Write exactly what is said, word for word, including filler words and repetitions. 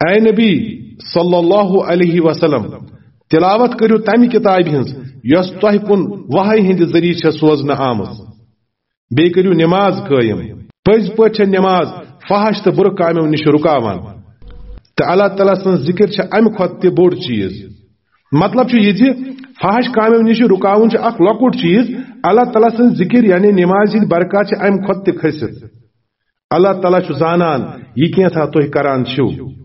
A نبی صلی اللہ علیہ وسلم، تلاوت کٔرِو تمہِ کتابہِ ہٕنٛز یۄس تۄہہِ کُن وحی ہٕنٛدِ ذٔریعہٕ چھےٚ سوزنہٕ آمٕژ۔ بیٚیہِ کٔرِو نماز قٲیِم۔ پٔزۍ پٲٹھۍ چھےٚ نماز فحش تہٕ بُرٕ کامٮ۪و نِش رُکاوان۔ تہٕ اللہ تعالیٰ سٕنٛز ذِکِر چھےٚ امہِ کھۄتہٕ تہِ بوٚڑ چیٖز۔ مطلب چھُ یہِ زِ فحش کامٮ۪و نِش رُکاوُن چھُ اکھ لۄکُٹ چیٖز، اللہ تعالیٰ سٕنٛز ذِکِر یعنی نمازِ ہٕنٛدۍ برکات چھِ امہِ کھۄتہٕ تہِ کھٔسِتھ۔ اللہ تعالیٰ چھُ زانان یہِ کینٛژھا تُہۍ کران چھِو۔